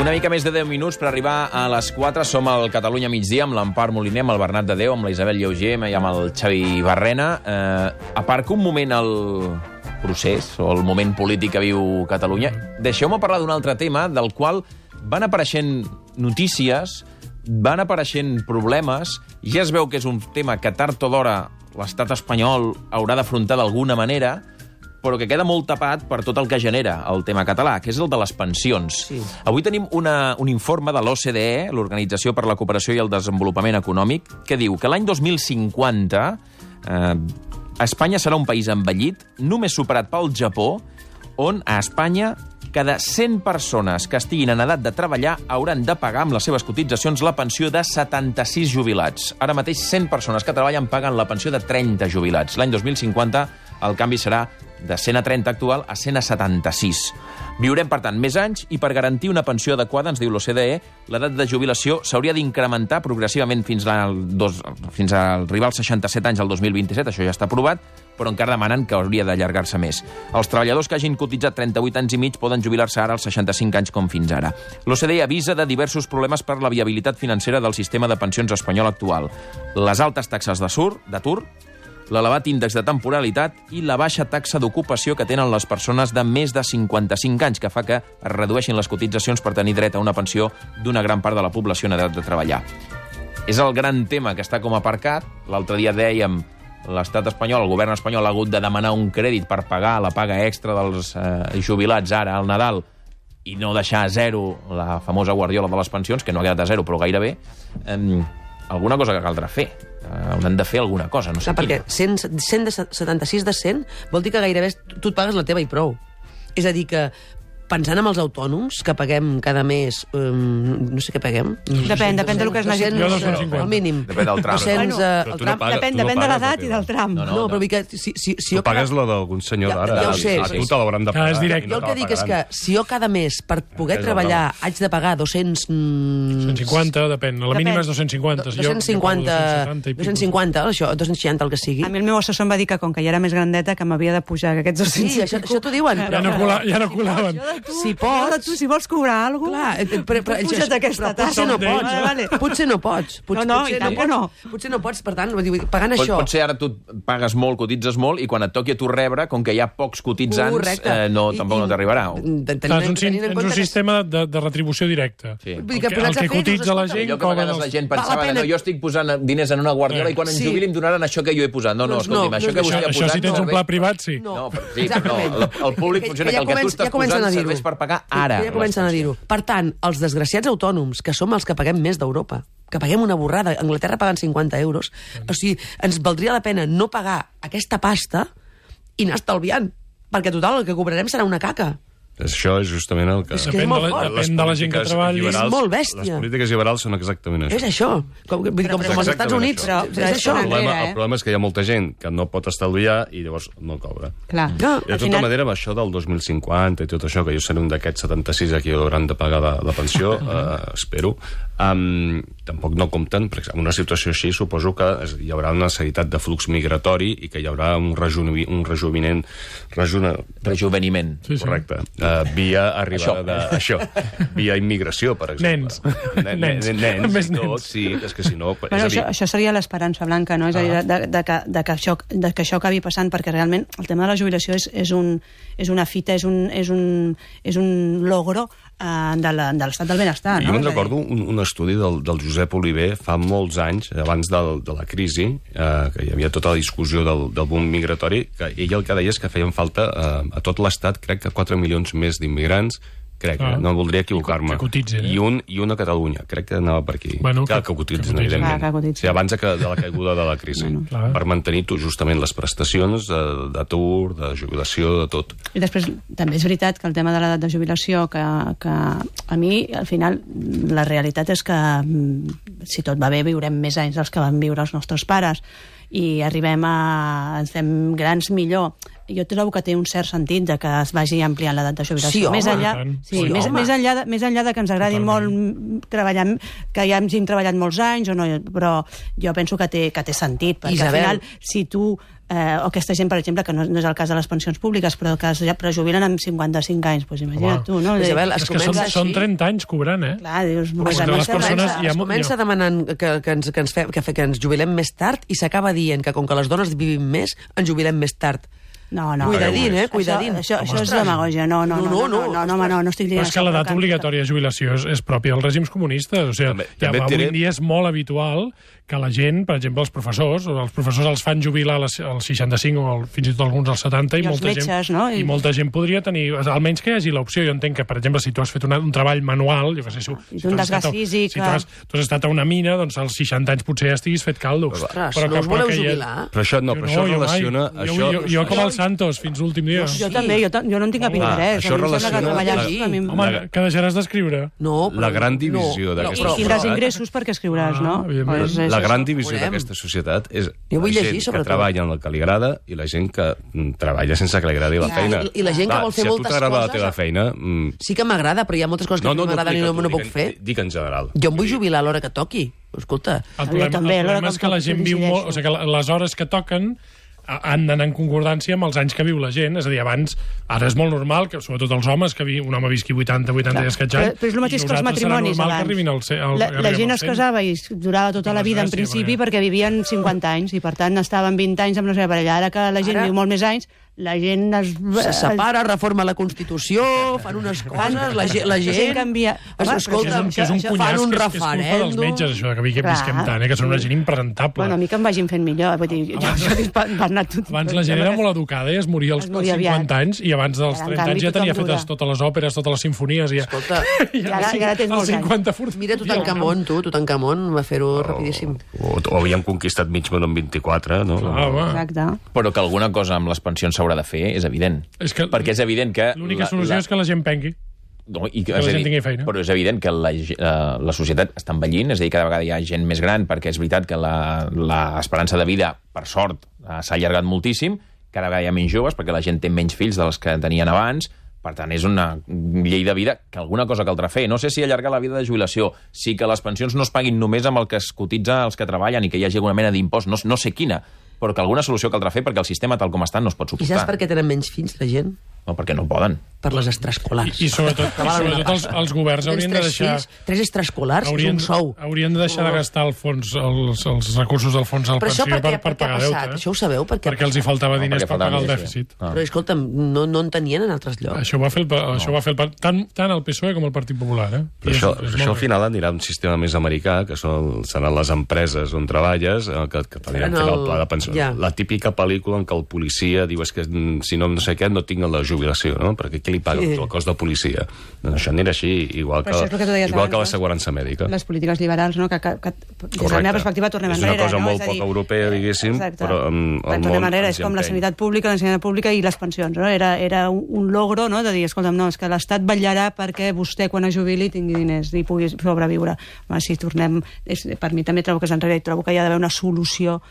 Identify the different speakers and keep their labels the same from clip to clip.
Speaker 1: Una mica més de 10 minuts per arribar a les 4. Som al Catalunya migdia amb l'Empar Moliner, amb el Bernat de Déu, amb la Isabel Lleuger i amb el Xavi Barrena. Aparco un moment el procés o el moment polític que viu Catalunya. Deixeu-me parlar d'un altre tema del qual van apareixent notícies, van apareixent problemes, ja es veu que és un tema que tard o d'hora l'estat espanyol haurà d'afrontar d'alguna manera, però que queda molt tapat per tot el que genera el tema català, que és el de les pensions.
Speaker 2: Sí.
Speaker 1: Avui tenim un informe de l'OCDE, l'Organització per la Cooperació i el Desenvolupament Econòmic, que diu que l'any 2050 Espanya serà un país envellit, només superat pel Japó, on a Espanya cada 100 persones que estiguin en edat de treballar hauran de pagar amb les seves cotitzacions la pensió de 76 jubilats. Ara mateix 100 persones que treballen paguen la pensió de 30 jubilats. L'any 2050 el canvi serà de 100 a 30 actual a 100 a 76. Viurem, per tant, més anys i per garantir una pensió adequada, ens diu l'OCDE, l'edat de jubilació s'hauria d'incrementar progressivament fins a arribar als 67 anys al 2027, això ja està aprovat, però encara demanen que hauria d'allargar-se més. Els treballadors que hagin cotitzat 38 anys i mig poden jubilar-se ara als 65 anys com fins ara. L'OCDE avisa de diversos problemes per la viabilitat financera del sistema de pensions espanyol actual. Les altes taxes d'atur, l'elevat índex de temporalitat i la baixa taxa d'ocupació que tenen les persones de més de 55 anys, que fa que es redueixin les cotitzacions per tenir dret a una pensió d'una gran part de la població en edat de treballar. És el gran tema que està com aparcat. L'altre dia dèiem l'estat espanyol, el govern espanyol ha hagut de demanar un crèdit per pagar la paga extra dels jubilats ara al Nadal i no deixar a zero la famosa guardiola de les pensions, que no ha quedat a zero, però gairebé. Alguna cosa que caldrà fer. Hauran de fer alguna cosa, no sé
Speaker 2: quina. Perquè 176 de 100 vol dir que gairebé tu et pagues la teva i prou. És a dir que, pensant en els autònoms, que paguem cada mes... no sé què paguem.
Speaker 3: Depèn del que es necessiti.
Speaker 4: Jo 250.
Speaker 2: El mínim.
Speaker 1: Depèn del tram.
Speaker 3: Depèn de l'edat i del tram.
Speaker 2: No, però vull que... Si
Speaker 5: tu pagues la d'algun senyor d'ara.
Speaker 2: Ja ho sé.
Speaker 5: A tu te l'hauran de pagar.
Speaker 4: És directe.
Speaker 2: Jo el que dic és que si jo cada mes, per poder treballar, haig de pagar 200...
Speaker 4: 150, depèn. La mínima és 250.
Speaker 2: 250, això, 260, el que sigui.
Speaker 3: A mi el meu assessor em va dir que com que ja era més grandeta que m'havia de pujar aquests 250.
Speaker 2: Sí, això t'ho diuen.
Speaker 4: Ja no colaven.
Speaker 2: Si pots...
Speaker 3: Tu, si vols cobrar alguna cosa, puja't aquesta tassa.
Speaker 2: Potser no pots. Potser no pots. Potser no pots, per tant, pagant això...
Speaker 1: Potser ara tu pagues molt, cotitzes molt, i quan et toqui a tu rebre, com que hi ha pocs cotitzants, tampoc no t'arribarà.
Speaker 4: És un sistema de retribució directa. El que cotitza la gent...
Speaker 1: Allò que a vegades la gent pensava, no, jo estic posant diners en una guardiola i quan em jubili em donaran això que jo he posat. No, escolti'm, això que vostè ha posat...
Speaker 4: Això si tens un pla privat, sí.
Speaker 1: No, el públic funciona que el que tu estàs posant serveix per pagar ara.
Speaker 2: Ja comencen a dir-ho. Per tant, els desgraciats autònoms, que som els que paguem més d'Europa, que paguem una borrada, a Anglaterra paguen 50 euros, o sigui, ens valdria la pena no pagar aquesta pasta i anar estalviant, perquè total, el que cobrarem serà una caca.
Speaker 5: Això és justament el que...
Speaker 2: És que és molt fort.
Speaker 4: Depèn de la gent que treballi.
Speaker 2: És molt bèstia.
Speaker 5: Les polítiques liberals són exactament això.
Speaker 2: És això. Com als Estats Units.
Speaker 5: És això. El problema és que hi ha molta gent que no pot estalviar i llavors no cobra.
Speaker 3: Clar.
Speaker 5: De tota manera, amb això del 2050 i tot això, que jo seré un d'aquests 76 a qui hauran de pagar la pensió, espero, tampoc no compten, perquè en una situació així suposo que hi haurà una necessitat de flux migratori i que hi haurà un rejuveniment. Correcte. Via arribada d'això. Via immigració, per exemple. Nens. Tot, sí, és que si no...
Speaker 3: Això seria l'esperança blanca, no? És a dir, que això acabi passant, perquè realment el tema de la jubilació és una fita, és un logro de l'estat del benestar.
Speaker 5: Jo me'n recordo un estudi del Josep Oliver fa molts anys, abans de la crisi, que hi havia tota la discussió del boom migratori, que ell el que deia és que feien falta a tot l'estat, crec que 4 milions més d'immigrants, crec, no voldria equivocar-me, i un a Catalunya, crec que anava per aquí, que cotitzen, evidentment, abans de la caiguda de la crisi, per mantenir justament les prestacions d'atur, de jubilació, de tot.
Speaker 3: I després també és veritat que el tema de l'edat de jubilació, que a mi, al final, la realitat és que si tot va bé viurem més anys dels que van viure els nostres pares i ens fem grans millor. Jo trobo que té un cert sentit de que es vagi ampliant l'edat de jubilació. Més enllà de que ens agradi molt treballar, que ja hagin treballat molts anys, però jo penso que té sentit, perquè al final, si tu o aquesta gent, per exemple, que no és el cas de les pensions públiques, però que es prejubilen amb 55 anys, doncs imagina't tu, no?
Speaker 2: Isabel,
Speaker 4: és que són 30 anys cobrant, eh?
Speaker 3: Clar, dius...
Speaker 2: Es comença demanant que ens jubilem més tard i s'acaba dient que com que les dones vivim més, ens jubilem més tard.
Speaker 3: No.
Speaker 2: Cuidadín.
Speaker 3: Això és demagògia. No, estic dient
Speaker 4: això. Però és que l'edat obligatòria de jubilació és pròpia dels règims comunistes. O sigui, avui en dia és molt habitual que la gent, per exemple, els professors els fan jubilar als 65 o fins i tot alguns als 70 i molta gent podria tenir, almenys que hi hagi l'opció. Jo entenc que, per exemple, si tu has fet un treball manual, jo què sé, si tu has estat a una mina, doncs als 60 anys potser ja estiguis fet caldo.
Speaker 2: Ostres, no us voleu jubilar?
Speaker 5: Però això relaciona...
Speaker 4: Jo com el Santos, fins l'últim dia.
Speaker 3: Jo també, jo no en tinc cap interès.
Speaker 5: Això relaciona...
Speaker 4: Home, que deixaràs d'escriure.
Speaker 5: La gran divisió d'aquesta societat...
Speaker 3: I tindràs ingressos perquè escriuràs, no?
Speaker 5: La gran divisió d'aquesta societat és la gent que treballa en el que li agrada i la gent que treballa sense que li agradi la feina.
Speaker 2: I la gent que vol fer moltes coses...
Speaker 5: Si a tu t'agrada la teva feina...
Speaker 2: Sí que m'agrada, però hi ha moltes coses que m'agraden i no puc fer.
Speaker 5: Dic en general.
Speaker 2: Jo em vull jubilar a l'hora que toqui. Escolta...
Speaker 4: El problema és que la gent viu molt... O sigui, que les hores que toquen han d'anar en concordància amb els anys que viu la gent. És a dir, abans, ara és molt normal que, sobretot els homes, que un home visqui 80 i escaig anys,
Speaker 3: però és el mateix que els matrimonis abans. La gent es casava i durava tota la vida en principi perquè vivien 50 anys i per tant estaven 20 anys amb la seva parella. Ara que la gent viu molt més anys, la gent
Speaker 2: se separa, reforma la Constitució, fan unes coses, la gent
Speaker 3: canvia.
Speaker 2: Escolta, fan un referèndum.
Speaker 4: És culpa dels metges, això, que visquem tant, que són una gent impresentable.
Speaker 3: Bueno, a mi que em vagin fent millor.
Speaker 4: Abans la gent era molt educada i es moria als 50 anys i abans dels 30 anys ja tenia fetes totes les òperes, totes les simfonies.
Speaker 2: Escolta,
Speaker 3: i ara tens molts anys.
Speaker 2: Mira Tutankamon va fer-ho rapidíssim.
Speaker 5: O havíem conquistat mig món en 24, no?
Speaker 3: Exacte.
Speaker 1: Però que alguna cosa amb les pensions s'haurà de fer, és evident. Perquè és evident que...
Speaker 4: L'única solució és que la gent pengui.
Speaker 1: Que la gent tingui feina. Però és evident que la societat està envellint, és a dir, cada vegada hi ha gent més gran, perquè és veritat que l'esperança de vida, per sort, s'ha allargat moltíssim, cada vegada hi ha menys joves, perquè la gent té menys fills dels que tenien abans, per tant, és una llei de vida que alguna cosa caldrà fer. No sé si allargar la vida de jubilació, sí que les pensions no es paguin només amb el que es cotitza els que treballen i que hi hagi alguna mena d'impost, no sé quina, però que alguna solució caldrà fer perquè el sistema tal com està no es pot suportar.
Speaker 2: I saps per què tenen menys fills, la gent?
Speaker 1: No, perquè no poden.
Speaker 2: Per les extraescolars.
Speaker 4: I sobretot els governs haurien de deixar...
Speaker 2: 3 extraescolars és un sou.
Speaker 4: Haurien de deixar de gastar els recursos del fons de la pensió per pagar deute.
Speaker 2: Això ho sabeu?
Speaker 4: Perquè els hi faltava diners per pagar el dèficit.
Speaker 2: Però escolta'm, no en tenien en altres llocs.
Speaker 4: Això ho va fer tant el PSOE com el Partit Popular.
Speaker 5: Però això al final anirà un sistema més americà, que seran les empreses on treballes, que t'aniran fent el pla de pensió. La típica pel·lícula en què el policia diu que si no sé què no tinc la jubilació, no? Perquè qui li paga el cost de policia? Doncs això anirà així, igual que l'assegurança mèdica.
Speaker 3: Les polítiques liberals, no? Que des de la meva perspectiva tornem enrere.
Speaker 5: És una cosa molt poc europea, diguéssim, però
Speaker 3: tornem enrere, és com la sanitat pública, l'ensenyament pública i les pensions, no? Era un logro, no?, de dir, escolta'm, no, és que l'Estat vetllarà perquè vostè, quan es jubili, tingui diners i pugui sobreviure. Si tornem... Per mi també trobo que és enrere i trobo que hi ha d'haver una solució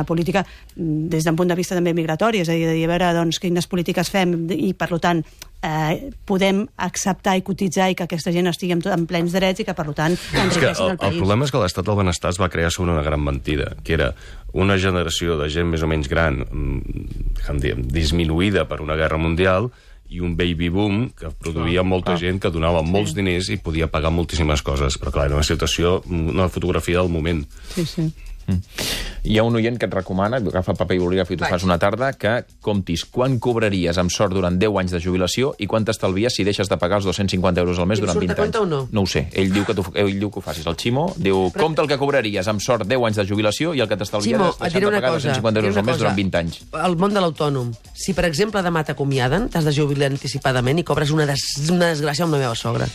Speaker 3: política des d'un punt de vista també migratori, és a dir, a veure doncs, quines polítiques fem i, per tant, podem acceptar i cotitzar i que aquesta gent estigui en plens drets i que, per tant, enriqueixin el país.
Speaker 5: El problema és que l'estat del benestar es va crear sobre una gran mentida, que era una generació de gent més o menys gran, disminuïda per una guerra mundial, i un baby boom que produïa molta gent que donava molts diners i podia pagar moltíssimes coses. Però, clar, era una situació, una fotografia del moment.
Speaker 3: Sí.
Speaker 1: Hi ha un oient que et recomana, agafa el paper i bolígraf i tu fas una tarda, que comptis quan cobraries amb sort durant 10 anys de jubilació i quant t'estalvies si deixes de pagar els 250 euros al mes durant 20 anys. No ho sé. Ell diu que ho facis. El Ximo diu, compta el que cobraries amb sort 10 anys de jubilació i el que t'estalvies deixant de pagar 250 euros al mes durant 20 anys.
Speaker 2: El món de l'autònom. Si, per exemple, demà t'acomiaden, t'has de jubilar anticipadament i cobres una desgràcia amb la meva sogra.